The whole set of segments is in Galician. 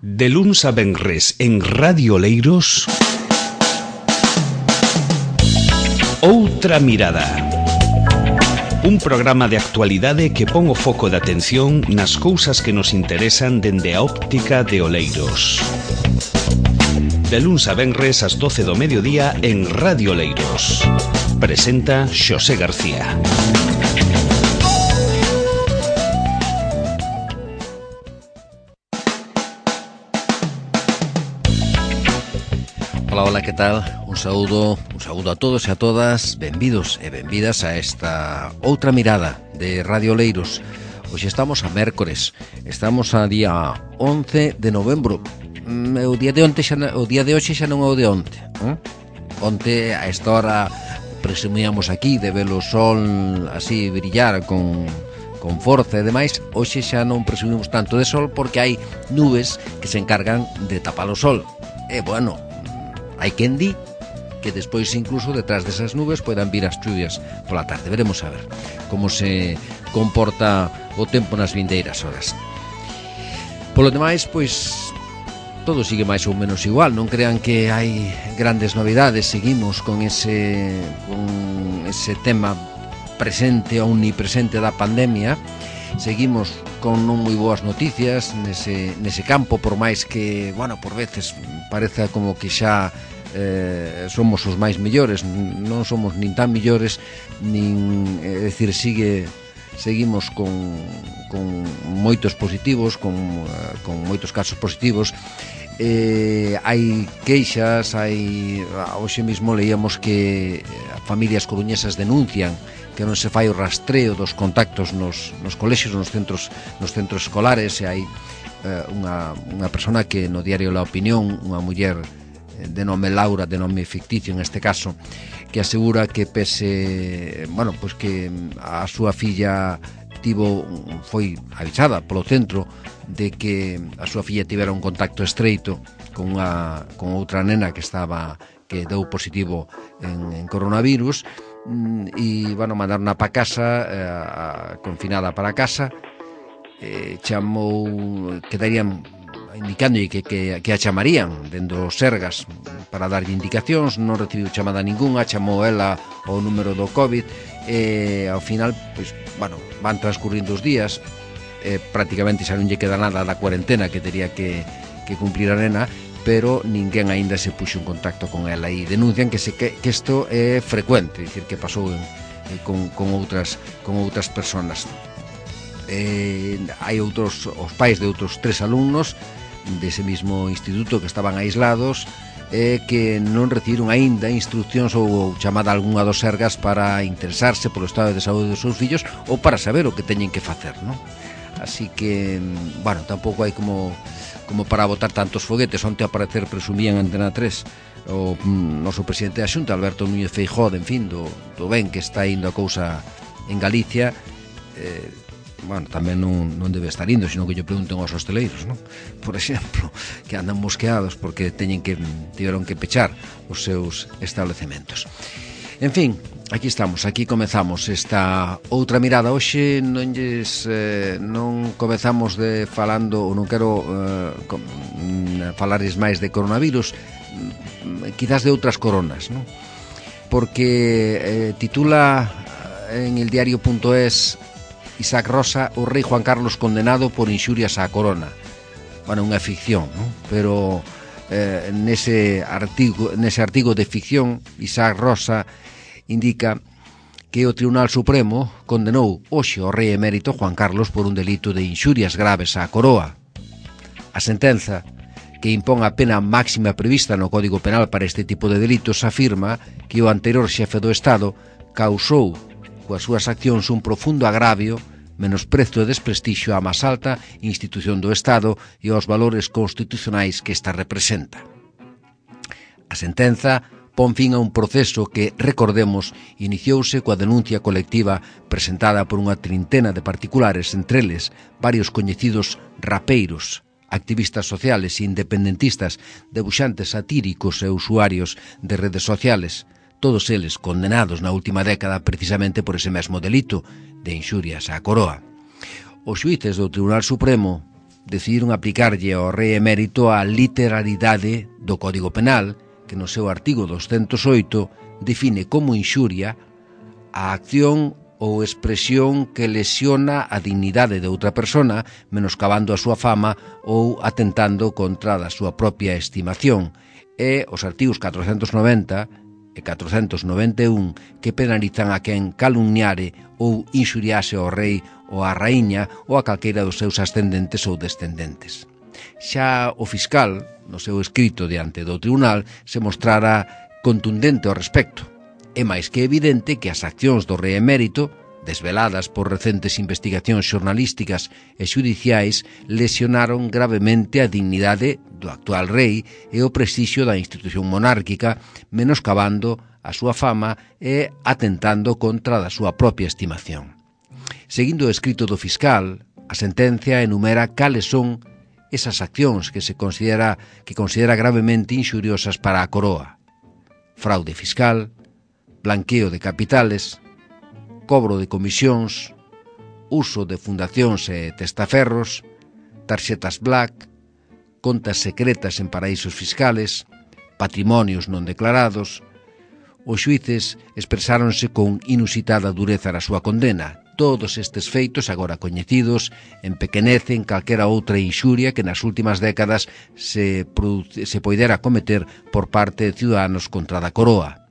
De luns a venres en Radio Oleiros, Outra Mirada. Un programa de actualidade que pon o foco de atención nas cousas que nos interesan dende a óptica de Oleiros. De luns a venres ás 12 do mediodía en Radio Oleiros. Presenta Xosé García. Hola, que tal? Un saúdo a todos e a todas. Benvidos e benvidas a esta Outra Mirada de Radio Oleiros. Hoxe estamos a mércores. Estamos a día 11 de novembro. O día de hoxe xa non é o de onte, Onte a esta hora presumíamos aquí de ver o sol así brillar con forza e demais. Hoxe xa non presumimos tanto de sol porque hai nubes que se encargan de tapar o sol. E bueno, hai quen di que despois incluso detrás desas nubes poden vir as chuvias pola tarde. Veremos a ver como se comporta o tempo nas vindeiras horas. Polo demais, pois todo sigue máis ou menos igual. Non crean que hai grandes novidades. Seguimos con ese tema presente, omnipresente da pandemia. Seguimos con non moi boas noticias nese campo, por máis que, bueno, por veces pareza como que xa somos os máis mellores. Non somos nin tan mellores, nin, é dicir, seguimos con moitos positivos, con moitos casos positivos. Hai queixas, hoxe mesmo leíamos que familias coruñesas denuncian que non se fai o rastreo dos contactos nos colexios, nos centros escolares, e hai unha persona que no diario La Opinión, unha muller de nome Laura, de nome ficticio en este caso, que asegura que pese, bueno, pois que a súa filla foi avisada polo centro de que a súa filla tivera un contacto estreito con outra nena que deu positivo en coronavirus, e, bueno, mandaron para casa, confinada para casa. Quedarían indicando que a chamarían dende os Sergas para darlle indicacións. Non recibiu chamada ningunha, chamou ela o número do COVID, e ao final, pois, bueno, van transcurrindo os días, prácticamente xa non lle queda nada da cuarentena que tería que cumplir a nena, pero ninguén aínda se puxo en contacto con ela, e denuncian que isto é frecuente, é dicir, que pasou con outras personas. Hai os pais de outros 3 alumnos dese mismo instituto que estaban aislados, que non recibiron aínda instruccións ou chamada algunha dos Sergas para interesarse polo estado de saúde dos seus fillos ou para saber o que teñen que facer, non? Así que, bueno, tampouco hai como para botar tantos foguetes. Onte a parecer presumían Antena 3 o noso presidente da Xunta, Alberto Núñez Feijóo, en fin, do ben que está indo a cousa en Galicia. Bueno, tamén non debe estar indo, sino que lle pregunten aos hosteleiros, non? Por exemplo, que andan mosqueados porque tiveron que pechar os seus establecementos. En fin, aquí estamos, aquí comezamos esta Outra Mirada. Hoxe non comezamos falando, ou non quero falarles máis de coronavirus, quizás de outras coronas, non? Porque titula en el diario.es Isaac Rosa, o rei Juan Carlos condenado por inxurias á corona. Bueno, unha ficción, non? Pero nese artigo de ficción, Isaac Rosa indica que o Tribunal Supremo condenou hoxe ao rei emérito Juan Carlos por un delito de inxurias graves á coroa. A sentenza, que impón a pena máxima prevista no Código Penal para este tipo de delitos, afirma que o anterior xefe do Estado causou coas súas accións un profundo agravio, menosprezo e desprestixio á máis alta institución do Estado e aos valores constitucionais que esta representa. A sentenza pon fin a un proceso que, recordemos, iniciouse coa denuncia colectiva presentada por unha trintena de particulares, entre eles varios coñecidos rapeiros, activistas sociales e independentistas, debuxantes satíricos e usuarios de redes sociales, todos eles condenados na última década precisamente por ese mesmo delito de inxurias á coroa. Os xuíces do Tribunal Supremo decidiron aplicarlle ao rei emérito a literalidade do Código Penal, que no seu artigo 208 define como inxuria a acción ou expresión que lesiona a dignidade de outra persona, menoscabando a súa fama ou atentando contra a súa propia estimación. E os artigos 490 e 491 que penalizan a quen calumniare ou inxuriase ao rei ou á raíña ou a calqueira dos seus ascendentes ou descendentes. Xa o fiscal, no seu escrito diante do tribunal, se mostrara contundente ao respecto. É máis que evidente que as accións do rei emérito, desveladas por recentes investigacións xornalísticas e xudiciais, lesionaron gravemente a dignidade do actual rei e o prestixio da institución monárquica, menoscabando a súa fama e atentando contra a súa propia estimación. Seguindo o escrito do fiscal, a sentencia enumera cales son esas accións que considera gravemente inxuriosas para a coroa: fraude fiscal, blanqueo de capitales, cobro de comisións, uso de fundacións e testaferros, tarxetas black, contas secretas en paraísos fiscales, patrimonios non declarados. Os xuíces expresáronse con inusitada dureza na súa condena. Todos estes feitos, agora coñecidos, empequenecen calquera outra inxuria que nas últimas décadas se poidera cometer por parte de ciudadanos contra a coroa.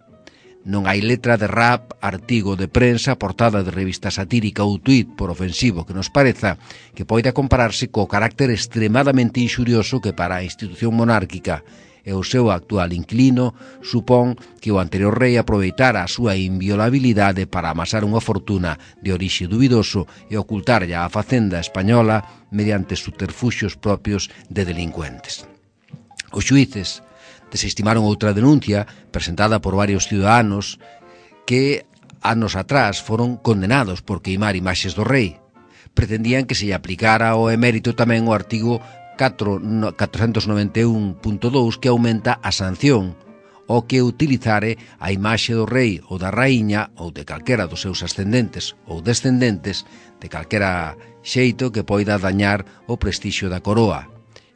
Non hai letra de rap, artigo de prensa, portada de revista satírica ou tuit, por ofensivo que nos pareza, que poida compararse co carácter extremadamente inxurioso que para a institución monárquica e o seu actual inquilino supón que o anterior rei aproveitara a súa inviolabilidade para amasar unha fortuna de orixe dubidoso e ocultarlle á facenda española mediante subterfuxios propios de delincuentes. Os xuíces desestimaron outra denuncia presentada por varios ciudadanos que anos atrás foron condenados por queimar imaxes do rei. Pretendían que se lle aplicara ao emérito tamén o artigo 491.2 que aumenta a sanción o que utilizare a imaxe do rei ou da raíña ou de calquera dos seus ascendentes ou descendentes de calquera xeito que poida dañar o prestixio da coroa.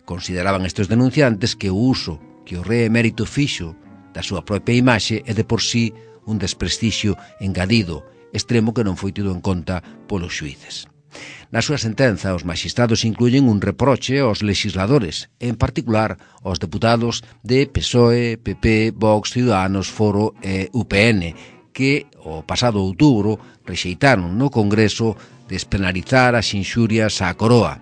Consideraban estes denunciantes que o uso que o rei emérito fixo da súa propia imaxe é de por sí un desprestixio engadido, extremo que non foi tido en conta polos xuíces. Na súa sentenza, os maxistrados incluyen un reproche aos legisladores, en particular aos deputados de PSOE, PP, Vox, Ciudadanos, Foro e UPN, que o pasado outubro rexeitaron no Congreso despenalizar as inxurias á coroa.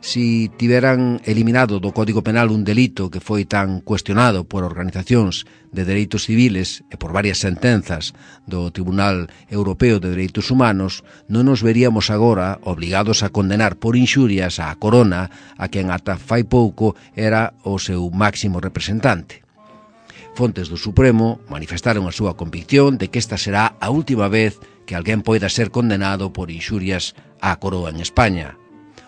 Si tiveran eliminado do Código Penal un delito que foi tan cuestionado por organizacións de dereitos civiles e por varias sentenzas do Tribunal Europeo de Dereitos Humanos, non nos veríamos agora obligados a condenar por inxurias á corona a quen ata fai pouco era o seu máximo representante. Fontes do Supremo manifestaron a súa convicción de que esta será a última vez que alguén poida ser condenado por inxurias á coroa en España.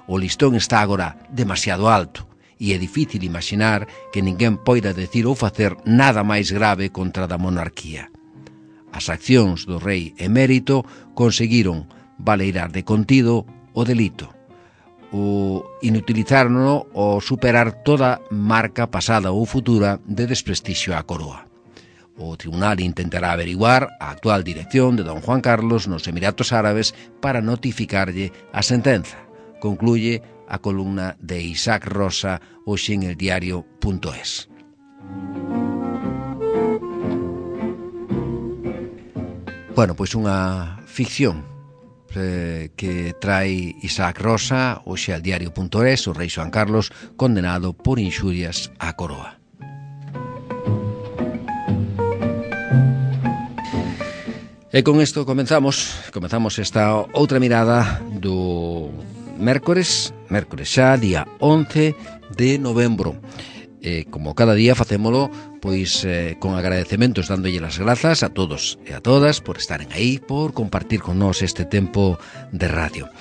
O listón está agora demasiado alto e é difícil imaginar que ninguén poida decir ou facer nada máis grave contra a monarquía. As accións do rei emérito conseguiron valeirar de contido o delito, o inutilizaron o superar toda marca pasada ou futura de desprestixio á coroa. O tribunal intentará averiguar a actual dirección de don Juan Carlos nos Emiratos Árabes para notificarlle a sentenza. Concluye a columna de Isaac Rosa hoxe en eldiario.es. Bueno, pois unha ficción que trae Isaac Rosa hoxe al diario.es, o rei Xoán Carlos condenado por inxurias á coroa. E con isto comenzamos esta outra mirada do mércores xa, día 11 de novembro. Como cada día facémolo pois con agradecementos, dándolle as grazas a todos e a todas por estaren aí, por compartir con nós este tempo de radio.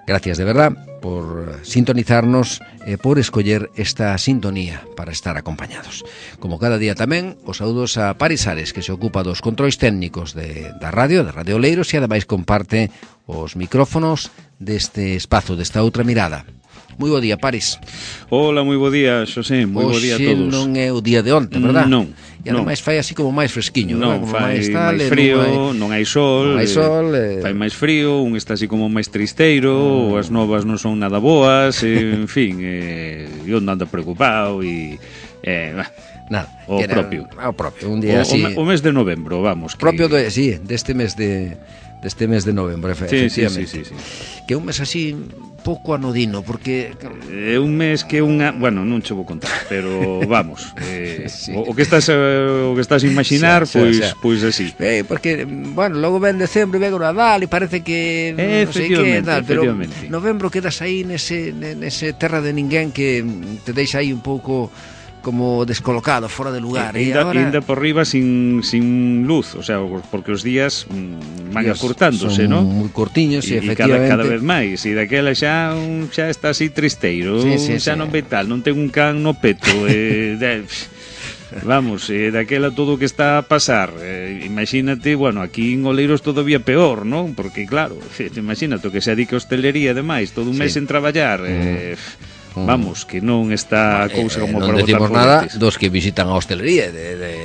Gracias de verdad por sintonizarnos e por escoller esta sintonía para estar acompañados. Como cada día tamén, os saúdos a Paris Ares, que se ocupa dos controis técnicos da Radio Oleiros, e ademais comparte os micrófonos deste espazo, desta outra mirada. Moi bo día, Paris. Hola, moi bo día, Xosé, moi bo día a todos. Hoxe non é o día de onte, verdad? Non. E ademais fai así como máis fresquiño, non, como fai tal, máis frío, non hai sol, fai máis frío, un está así como máis tristeiro, as novas non son nada boas, en fin, eu non ando preocupado e nada, o propio, un día así. O mes de novembro, vamos, que... propio deste mes de novembro, efectivamente. Sí. Que é un mes así pouco anodino, porque é un mes que bueno, non che vou contar, pero vamos, sí. o que estás imaginar, pois así. Porque, bueno, logo ven decembro e ven o Nadal e parece que non sei que tal, pero novembro quedas aí nese terra de ninguén que te deixa aí un pouco como descolocado, fora de lugar. Ainda por riba sin luz, o sea, porque os días van acurtándose, ¿no? Son moi cortiños e efectivamente. Cada vez máis, e daquela xa está así tristeiro, xa non ve tal, non ten un can no peto, vamos, daquela todo o que está a pasar, imagínate, bueno, aquí en Oleiros todavía peor, ¿no? Porque claro, imagínate que se dedica a hostelería ademais, todo un mes en traballar, vamos, que non está a cousa como para botar foguetes. Non decimos nada dos que visitan a hostelería,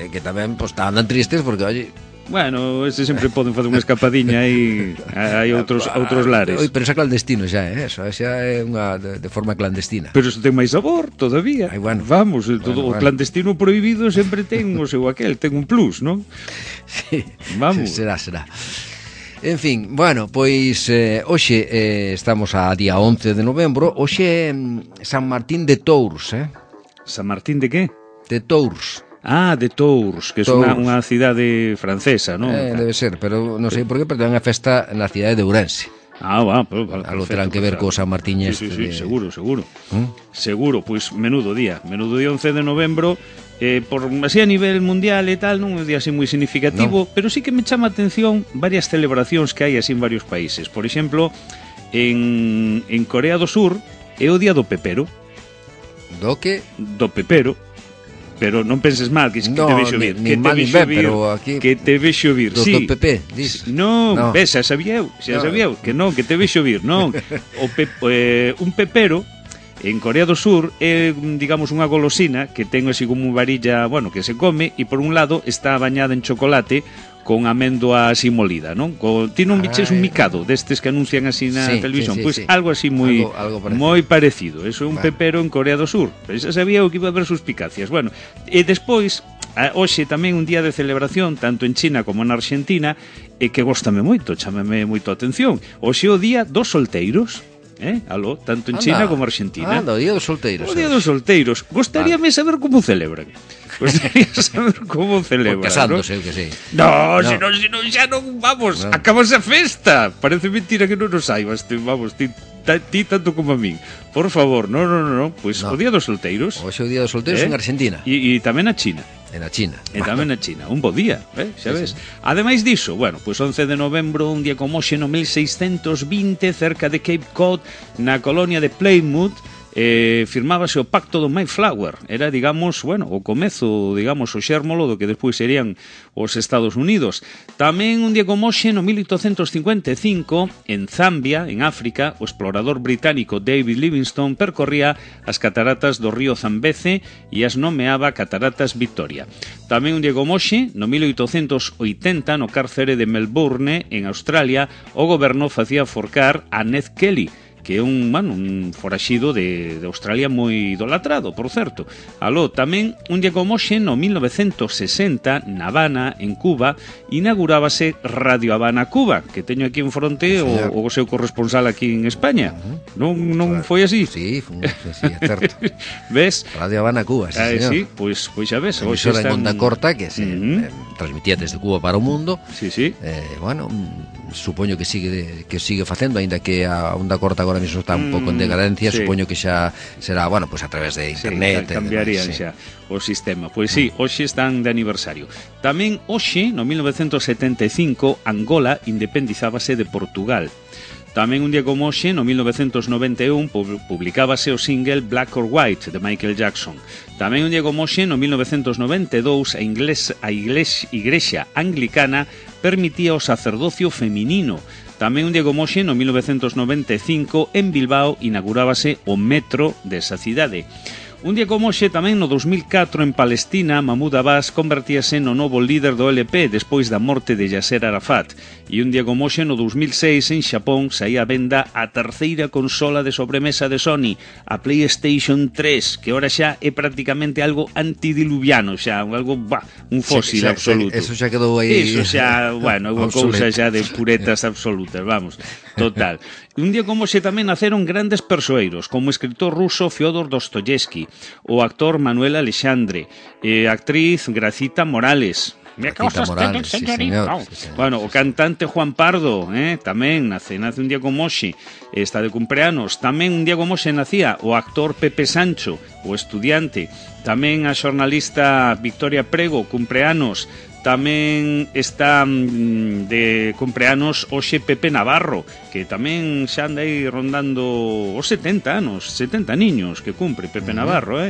que tamén andan tristes porque, oye... Bueno, ese sempre poden facer unha escapadiña e hai outros lares. Pero xa clandestino xa, eso xa é unha de forma clandestina. Pero iso ten máis sabor todavía. Bueno, vamos, o clandestino prohibido sempre ten o seu aquel, ten un plus, non? Sí, vamos. Será. En fin, bueno, pois hoxe estamos a día 11 de novembro. Hoxe é San Martín de Tours, San Martín de que? De Tours. De Tours, que é unha cidade francesa, non? Debe ser, pero non sei por qué, pero ten unha festa na cidade de Ourense. Algo terán que ver co San Martín Sí, seguro. Seguro, pois menudo día 11 de novembro. Por así a nivel mundial e tal, non é un día así moi significativo, pero sí que me chama a atención varias celebracións que hai así en varios países. Por exemplo, en Corea do Sur é o día do pepero. Do que? Do pepero. Pero non penses mal, que te vexo vir, que te vexo vir, sí. Do PP, dis. Non, ves, xa sabía eu, que non, que te vexo vir, non. Un pepero en Corea do Sur é, digamos, unha golosina que ten así como unha varilla, bueno, que se come e por un lado está bañada en chocolate con amendoa así molida, non? Ti non biches un micado destes que anuncian así na televisión, pois algo así moi parecido. Eso é un pepero en Corea do Sur. Pero xa sabía o que iba a haber suspicacias. Bueno, e despois hoxe tamén un día de celebración tanto en China como en Argentina e que góstame moito, chámame moito a atención. Hoxe é o día dos solteiros. Aló, tanto en China como en Argentina. O día dos solteiros. O día dos solteiros. Gostaríame saber como celebran. Por casándose, eu que sei. No, senón xa non, vamos, acabas a festa. Parece mentira que non nos saibas, vamos, ti tanto como a min. Por favor, non, pois o día dos solteiros. Hoxe o día dos solteiros en Argentina. E tamén na China. En a China. E tamén na China. Un bo día, xa ves. Ademais diso, bueno, pois 11 de novembro, un día como hoxe no 1620, cerca de Cape Cod, na colonia de Plymouth, firmábase o pacto do Mayflower. Era, digamos, bueno, o comezo, digamos, o xérmolo do que despois serían os Estados Unidos. Tamén un día como hoxe, no 1855, en Zambia, en África, o explorador británico David Livingstone percorría as cataratas do río Zambeze e as nomeaba Cataratas Victoria. Tamén un día como hoxe, no 1880, no cárcere de Melbourne, en Australia, o goberno facía forcar a Ned Kelly, que é un foraxido de Australia moi idolatrado, por certo. Aló, tamén un día como hoxe, no 1960, na Habana, en Cuba, inaugurábase Radio Habana Cuba, que teño aquí en fronte o seu corresponsal aquí en España. Non foi así? Sí, é certo. Ves? Radio Habana Cuba, sí, señor. Sí, pois xa ves. Hoxe está en onda corta que se transmitía desde Cuba para o mundo. Sí. Bueno, supoño que sigue facendo, aínda que a onda corta agora mesmo está un pouco en decadencia, supoño que xa será, bueno, pues a través de internet. Cambiarían xa o sistema. Pois sí, hoxe están de aniversario. Tamén hoxe, no 1975, Angola independizábase de Portugal. Tamén un día como hoxe, no 1991, publicábase o single Black or White, de Michael Jackson. Tamén un día como hoxe, no 1992, a Igrexa Anglicana permitía o sacerdocio feminino. Tamén un día como hoxe, no 1995, en Bilbao inaugurábase o metro desa cidade. Un día como hoxe, tamén no 2004, en Palestina, Mahmoud Abbas convertíase no novo líder do LP despois da morte de Yasser Arafat. E un día como hoxe, no 2006, en Xapón, saía a venda a terceira consola de sobremesa de Sony, a PlayStation 3, que ora xa é prácticamente algo antidiluviano, xa, algo, un fósil absoluto. Eso xa quedou aí. Eso xa, bueno, é unha cousa xa de puretas absolutas, vamos, total. Un día como hoxe tamén naceron grandes persoeiros, como o escritor ruso Fyodor Dostoyevsky, o actor Manuel Alexandre, actriz Gracita Morales. Gracita Morales, sí, señor. Bueno, o cantante Juan Pardo, tamén nace un día como hoxe, está de cumpleanos. Tamén un día como hoxe nacía o actor Pepe Sancho, o estudiante. Tamén a xornalista Victoria Prego, cumpleanos. Tamén está de cumpleanos hoxe Pepe Navarro, que tamén xa anda aí rondando os 70 anos, 70 niños que cumpre Pepe Navarro,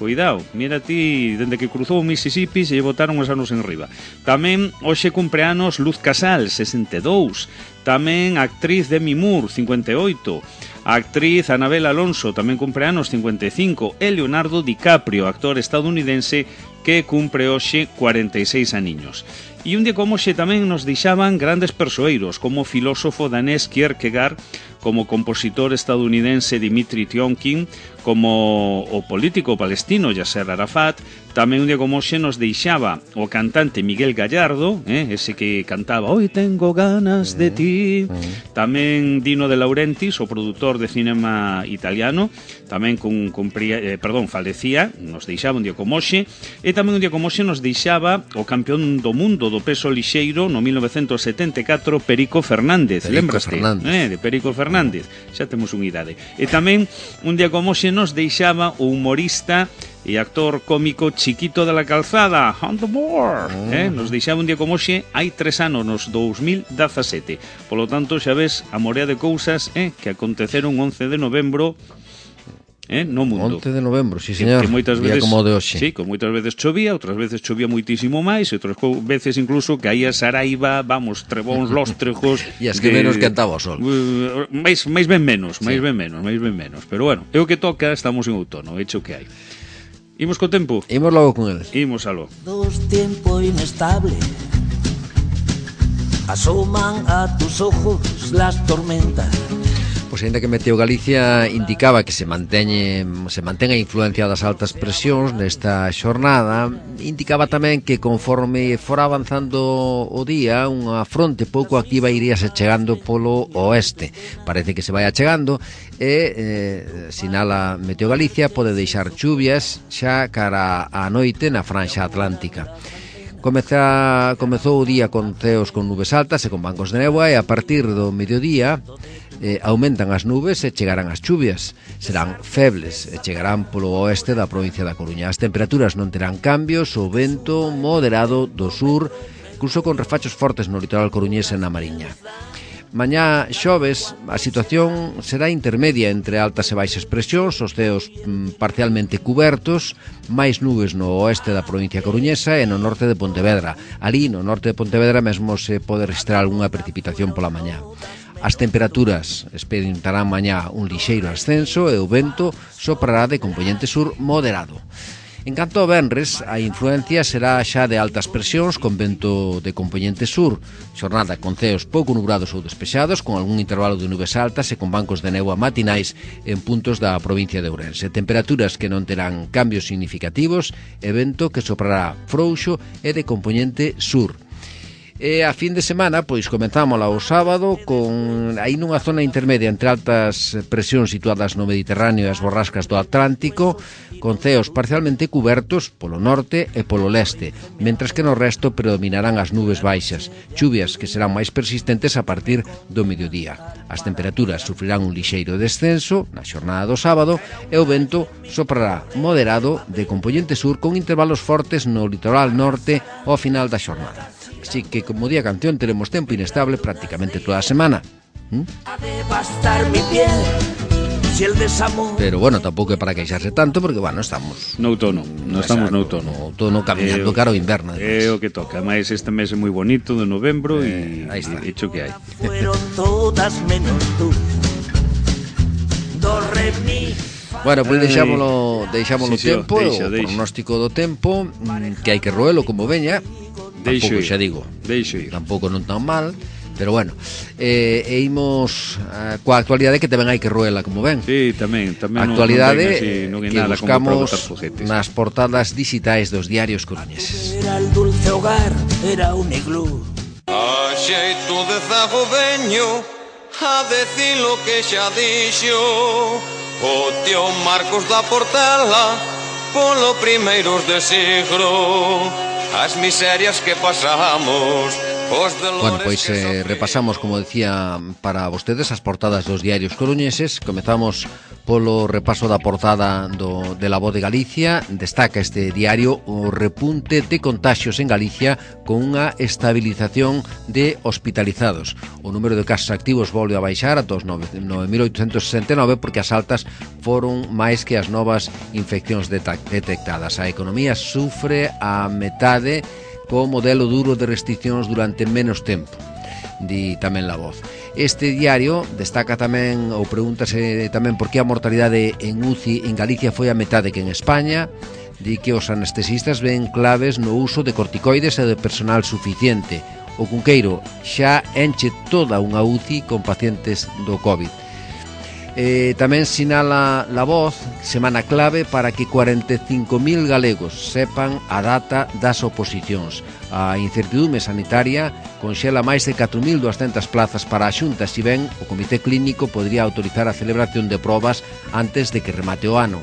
Cuidado, mira ti, dende que cruzou o Mississippi se lle botaron os anos en riba. Tamén hoxe cumpleanos Luz Casal, 62. Tamén a actriz Demi Moore, 58. A actriz Anabel Alonso, tamén cumpleanos, 55. E Leonardo DiCaprio, actor estadounidense, que cumpre hoxe 46 aniños. E un día como hoxe tamén nos deixaban grandes persoeiros, como o filósofo danés Kierkegaard, como o compositor estadounidense Dimitri Tionkin, como o político palestino Yasser Arafat. Tamén un día como hoxe nos deixaba o cantante Miguel Gallardo, ese que cantaba Hoy tengo ganas de ti. Tamén Dino de Laurentiis, o produtor de cinema italiano, tamén falecía, nos deixaba un día como hoxe. E tamén un día como hoxe nos deixaba o campeón do mundo do peso lixeiro no 1974, Perico Fernández. Lembraste? De Perico Fernández. Xa temos unha idade. E tamén un día como hoxe nos deixaba o humorista e actor cómico Chiquito de la Calzada, On the Board. Nos deixaba un día como hoxe hai 3 anos, nos 2017. Polo tanto, xa ves a morea de cousas que aconteceron 11 de novembro no mundo. 11 de novembro, sí, señor. Que moitas veces, como de hoxe. Sí, que moitas veces chovía, outras veces chovía moitísimo máis, e outras veces incluso caía Saraiva, vamos, trebóns, lóstrejos. E as que menos cantaba o sol. máis ben menos. Pero bueno, é o que toca, estamos en outono, hecho que hai. Imos co tempo? Imos logo con eles. Imos aló. Dos tiempo inestable asoman a tus ojos las tormentas. Pois ainda que Meteo Galicia indicaba que se mantén a influencia das altas presións nesta xornada, indicaba tamén que conforme fora avanzando o día, unha fronte pouco activa iríase chegando polo oeste. Parece que se vai achegando e, sinala Meteo Galicia, pode deixar chuvias xa cara á noite na franxa atlántica. Comezou o día con ceos con nubes altas e con bancos de néboa, e a partir do mediodía aumentan as nubes e chegarán as chuvias. Serán febles e chegarán polo oeste da provincia da Coruña. As temperaturas non terán cambios, o vento moderado do sur, incluso con refachos fortes no litoral coruñés e na Mariña. Mañá xoves, a situación será intermedia entre altas e baixas presións, os ceos parcialmente cubertos, máis nubes no oeste da provincia coruñesa e no norte de Pontevedra. Ali, no norte de Pontevedra, mesmo se pode registrar algunha precipitación pola mañá. As temperaturas experimentarán mañá un lixeiro ascenso e o vento soprará de compoñente sur moderado. En canto ao venres, a influencia será xa de altas presións con vento de compoñente sur, xornada con ceos pouco nubrados ou despexados, con algún intervalo de nubes altas e con bancos de néboa matinais en puntos da provincia de Ourense. Temperaturas que non terán cambios significativos e vento que soprará frouxo e de compoñente sur. E a fin de semana, pois comenzámola o sábado con aí nunha zona intermedia entre altas presións situadas no Mediterráneo e as borrascas do Atlántico, con ceos parcialmente cubertos polo norte e polo leste, mentres que no resto predominarán as nubes baixas, chuvias que serán máis persistentes a partir do mediodía. As temperaturas sufrirán un lixeiro descenso na xornada do sábado e o vento soprará moderado de compoñente sur con intervalos fortes no litoral norte ao final da xornada. Así que, como día canción, teremos tempo inestable prácticamente toda a semana. A devastar mi piel, Si el desamor... Pero bueno, tampouco é para queixarse tanto, porque, bueno, estamos... No outono, non estamos no outono. No outono camiñando cara ao inverno. É o que toca, máis este mes é moi bonito, de novembro, e hecho que hai. Fueron todas menos tú. Do, re, mi... Bueno, pois deixámolo sí, tempo, deixa. o pronóstico do tempo, que hai que roelo como veña. Tampouco xa digo, tampouco non tan mal, pero bueno, imos coa actualidade que tamén hai que roela como ven. Sí, tamén a actualidade non que buscamos nas portadas digitais dos diarios coruñeses. Era el dulce hogar, era un iglú. A xeito de zago veño a decir lo que xa dixo o tío Marcos da Portela polo primeiros de siglo, as miserias que pasamos. Bueno, pois repasamos, como decía, para vostedes as portadas dos diarios coruñeses. Comezamos polo repaso da portada de La Voz de Galicia. Destaca este diario o repunte de contaxios en Galicia con unha estabilización de hospitalizados. O número de casos activos volve a baixar a 9.869 porque as altas foron máis que as novas infeccións detectadas. A economía sufre a metade co modelo duro de restriccións durante menos tempo, di tamén La Voz. Este diario destaca tamén, ou pregúntase tamén, por que a mortalidade en UCI en Galicia foi a metade que en España. Di que os anestesistas ven claves no uso de corticoides e de personal suficiente. O Cunqueiro xa enche toda unha UCI con pacientes do COVID. Tamén sinala La Voz semana clave para que 45.000 galegos sepan a data das oposicións. A incertidume sanitaria conxela máis de 4.200 plazas para a Xunta, si ben o Comité Clínico podría autorizar a celebración de probas antes de que remate o ano.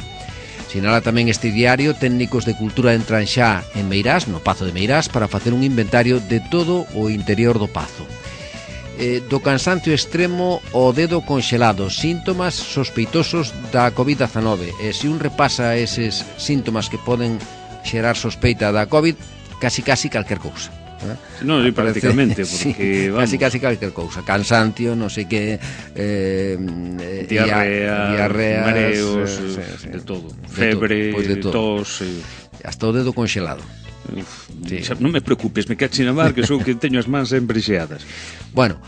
Sinala tamén este diario, técnicos de cultura entran xa en Meirás, no Pazo de Meirás, para facer un inventario de todo o interior do Pazo. Do cansancio extremo ao dedo conxelado, síntomas sospeitosos da COVID-19. E se un repasa eses síntomas que poden xerar sospeita da COVID, casi calquer cousa. Non, prácticamente, porque sí, casi calquer cousa. Cansancio, non sei que, diarrea, mareos, de todo. Febre, tos, hasta o dedo conxelado. Sí. Non me preocupes, me cache na mar, que sou que teño as mans sempre xeadas. Bueno,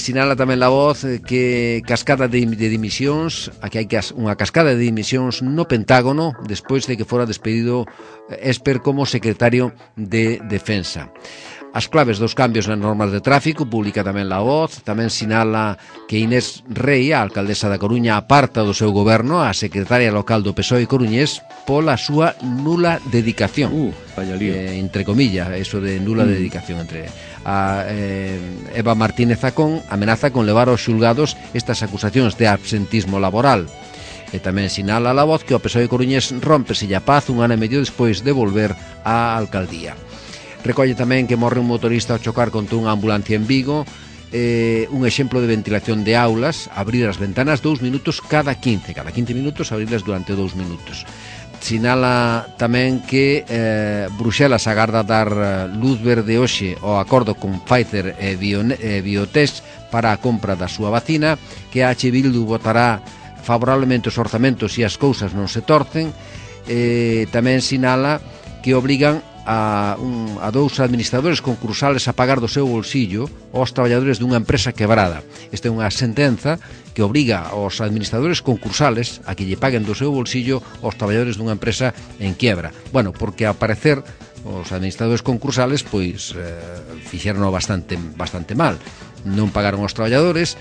sinala tamén La Voz que cascada de dimisións, aquí hai unha cascada de dimisións no Pentágono despois de que fora despedido Esper como secretario de Defensa. As claves dos cambios nas normas de tráfico publica tamén La Voz. Tamén sinala que Inés Rei, a alcaldesa da Coruña, aparta do seu goberno a secretaria local do PSOE coruñés pola súa nula dedicación. Vaya lío. Entre comillas, eso de nula dedicación. Entre Eva Martínez Zacón amenaza con levar aos xulgados estas acusacións de absentismo laboral. E tamén sinala La Voz que o PSOE coruñés rómpese a paz un ano e medio despois de volver á alcaldía. Recolle tamén que morre un motorista ao chocar contra unha ambulancia en Vigo. Un exemplo de ventilación de aulas, abrir as ventanas 2 minutos cada 15 minutos, abrirlas durante 2 minutos. Sinala tamén que Bruxelas agarda dar luz verde hoxe ao acordo con Pfizer e Biotech para a compra da súa vacina, que a H. Bildu votará favorablemente os orzamentos se as cousas non se torcen. Tamén sinala que obrigan a dous administradores concursales a pagar do seu bolsillo aos traballadores dunha empresa quebrada. Esta é unha sentenza que obriga aos administradores concursales a que lle paguen do seu bolsillo aos traballadores dunha empresa en quiebra. Bueno, porque ao parecer os administradores concursales pois fixeron bastante mal. Non pagaron aos traballadores,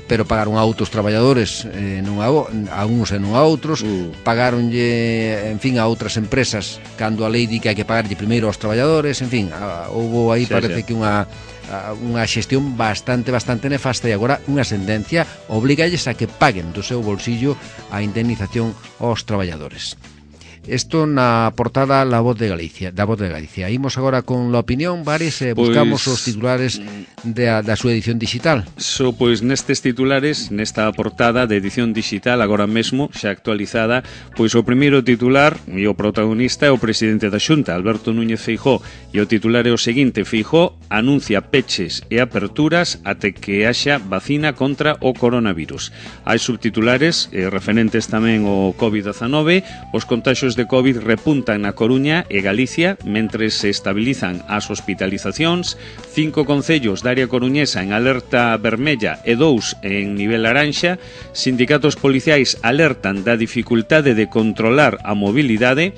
pero pagaron a outros traballadores, a uns e non a outros, pagaronlle, en fin, a outras empresas cando a lei di que hai que pagarlle primeiro aos traballadores, en fin, houve aí parece que unha xestión bastante nefasta, e agora unha sentencia obligalles a que paguen do seu bolsillo a indemnización aos traballadores. Isto na portada da Voz de Galicia. Imos agora con la opinión, Vares, buscamos os titulares da súa edición digital. Pois nestes titulares, nesta portada de edición digital, agora mesmo, xa actualizada, pois o primeiro titular e o protagonista é o presidente da Xunta, Alberto Núñez Feijóo, e o titular é o seguinte: Feijóo anuncia peches e aperturas até que haxa vacina contra o coronavirus. Hai subtitulares referentes tamén ao COVID-19, os contaxios de COVID repuntan na Coruña e Galicia, mentres se estabilizan as hospitalizacións, 5 concellos da área coruñesa en alerta vermella e 2 en nivel laranxa, sindicatos policiais alertan da dificultade de controlar a mobilidade,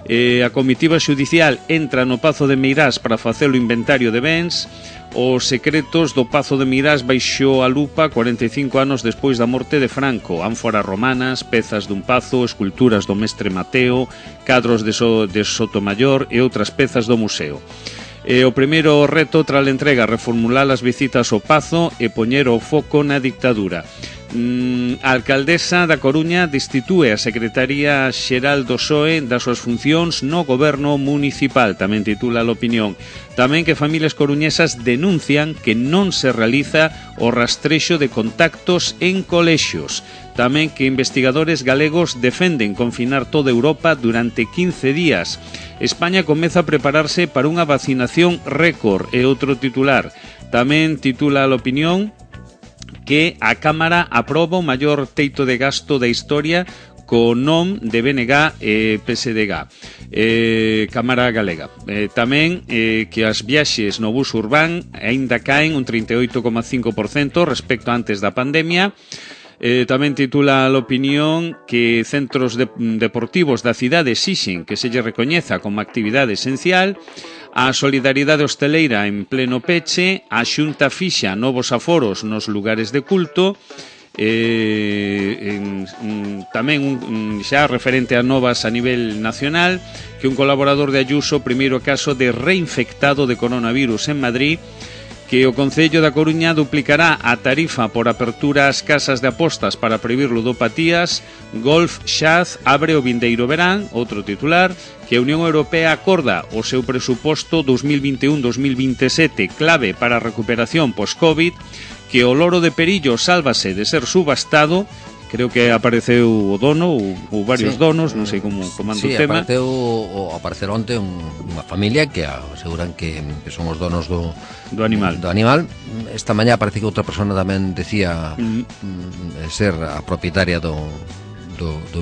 a comitiva xudicial entra no Pazo de Meirás para facer o inventario de bens, os secretos do Pazo de Meirás baixou a lupa 45 anos despois da morte de Franco, ánforas romanas, pezas dun pazo, esculturas do mestre Mateo, cadros de Sotomayor e outras pezas do museo. O primeiro reto tras a entrega, reformular as visitas ao Pazo e poñer o foco na dictadura. A alcaldesa da Coruña destitúe a Secretaría Xeral do PSOE das súas funcións no goberno municipal, tamén titula a opinión. Tamén que familias coruñesas denuncian que non se realiza o rastrexo de contactos en colexios. Tamén que investigadores galegos defenden confinar toda Europa durante 15 días. España comeza a prepararse para unha vacinación récord, e outro titular. Tamén titula a opinión que a Cámara aproba o maior teito de gasto da historia co non de BNG e PSDG, Cámara Galega. Tamén que as viaxes no bus urbán aínda caen un 38,5% respecto antes da pandemia. Tamén titula a opinión que centros deportivos da cidade exixen que se lle recoñeza como actividade esencial. A solidaridade hosteleira en pleno peche, a Xunta fixa novos aforos nos lugares de culto, tamén xa referente a novas a nivel nacional, que un colaborador de Ayuso, primeiro caso de reinfectado de coronavirus en Madrid, que o Concello da Coruña duplicará a tarifa por apertura ás casas de apostas para previr ludopatías. Golf Xaz abre o vindeiro verán, outro titular, que a Unión Europea acorda o seu presuposto 2021-2027 clave para a recuperación post-Covid, que o loro de Perillo sálvase de ser subastado. Creo que apareceu o dono ou varios donos, non sei como anda o tema. Apareceu onte unha familia que aseguran que son os donos do animal. Esta mañá parece que outra persona tamén decía ser a propietaria do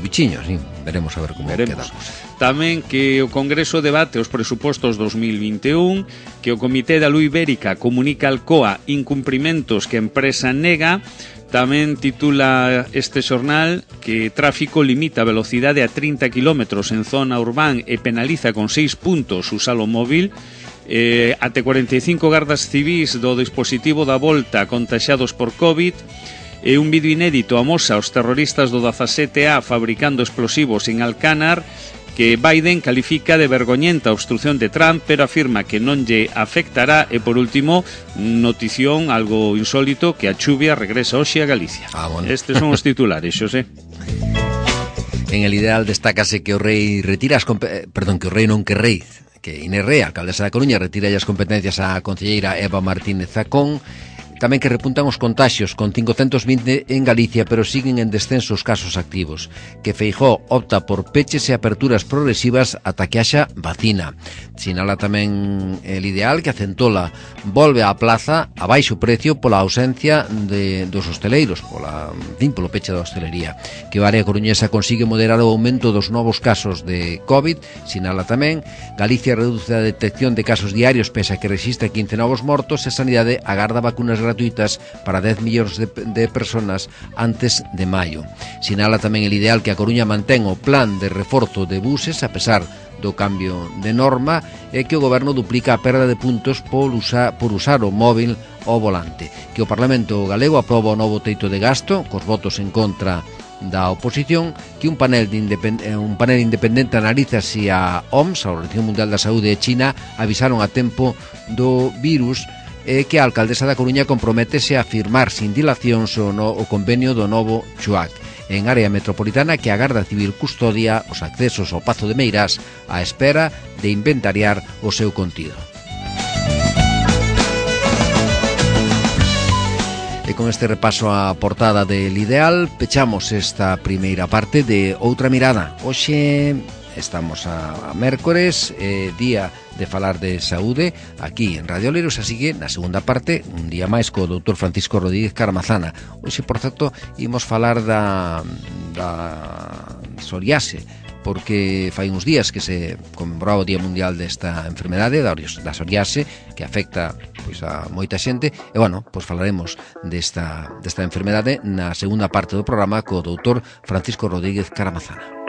bichiño, sí. Veremos a ver como quedamos. Tamén que o Congreso debate os presupostos 2021, que o Comité da Luz Ibérica comunica al COA incumprimentos que a empresa nega. Tamén titula este xornal que tráfico limita a velocidade a 30 km en zona urbán e penaliza con 6 puntos usar o móvil. Até 45 gardas civís do dispositivo da volta contaxados por COVID. Un vídeo inédito amosa os terroristas do 17A fabricando explosivos en Alcánar, que Biden califica de vergoñenta a obstrución de Trump, pero afirma que non lle afectará. E por último, notición algo insólito, que a chuvia regresa hoxe a Galicia. Bueno. Estes son os titulares, Xosé. En el ideal destácase que o rei retira que Inés Rey, alcaldesa da Coruña, retira as competencias á concelleira Eva Martínez Zacón. Tamén que repuntan os contaxios, con 520 en Galicia, pero siguen en descenso os casos activos. Que Feijóo opta por peches e aperturas progresivas ata que haxa vacina. Sinala tamén el ideal que a Centola volve á plaza a baixo precio pola ausencia dos hosteleiros, polo peche da hostelería. Que o área coruñesa consigue moderar o aumento dos novos casos de COVID. Sinala tamén Galicia reduce a detección de casos diarios pese a que resiste 15 novos mortos, e Sanidade agarda vacunas gratuitas para 10 millóns de personas antes de maio. Sinala tamén el ideal que a Coruña mantén o plan de reforzo de buses a pesar do cambio de norma, e que o goberno duplica a perda de puntos por usar o móvil ao volante. Que o Parlamento galego aproba o novo teito de gasto cos votos en contra da oposición. Que un panel independente analiza se a OMS, a Organización Mundial da Saúde, e China avisaron a tempo do virus, e que a alcaldesa da Coruña comprométese a firmar sin dilacións o convenio do novo CHUAC. en área metropolitana que a Garda Civil custodia os accesos ao Pazo de Meirás á espera de inventariar o seu contido. E con este repaso á portada del Ideal pechamos esta primeira parte de Outra Mirada. Hoxe estamos a mércores, día de falar de saúde aquí en Radio Oleiros, así que na segunda parte un día máis co doutor Francisco Rodríguez Caramazana. Hoxe, por certo, imos falar da psoriase, porque fai uns días que se conmemorou o Día Mundial desta enfermedade da psoriase, que afecta pois a moita xente, e bueno, pois falaremos desta enfermedade na segunda parte do programa co doutor Francisco Rodríguez Caramazana.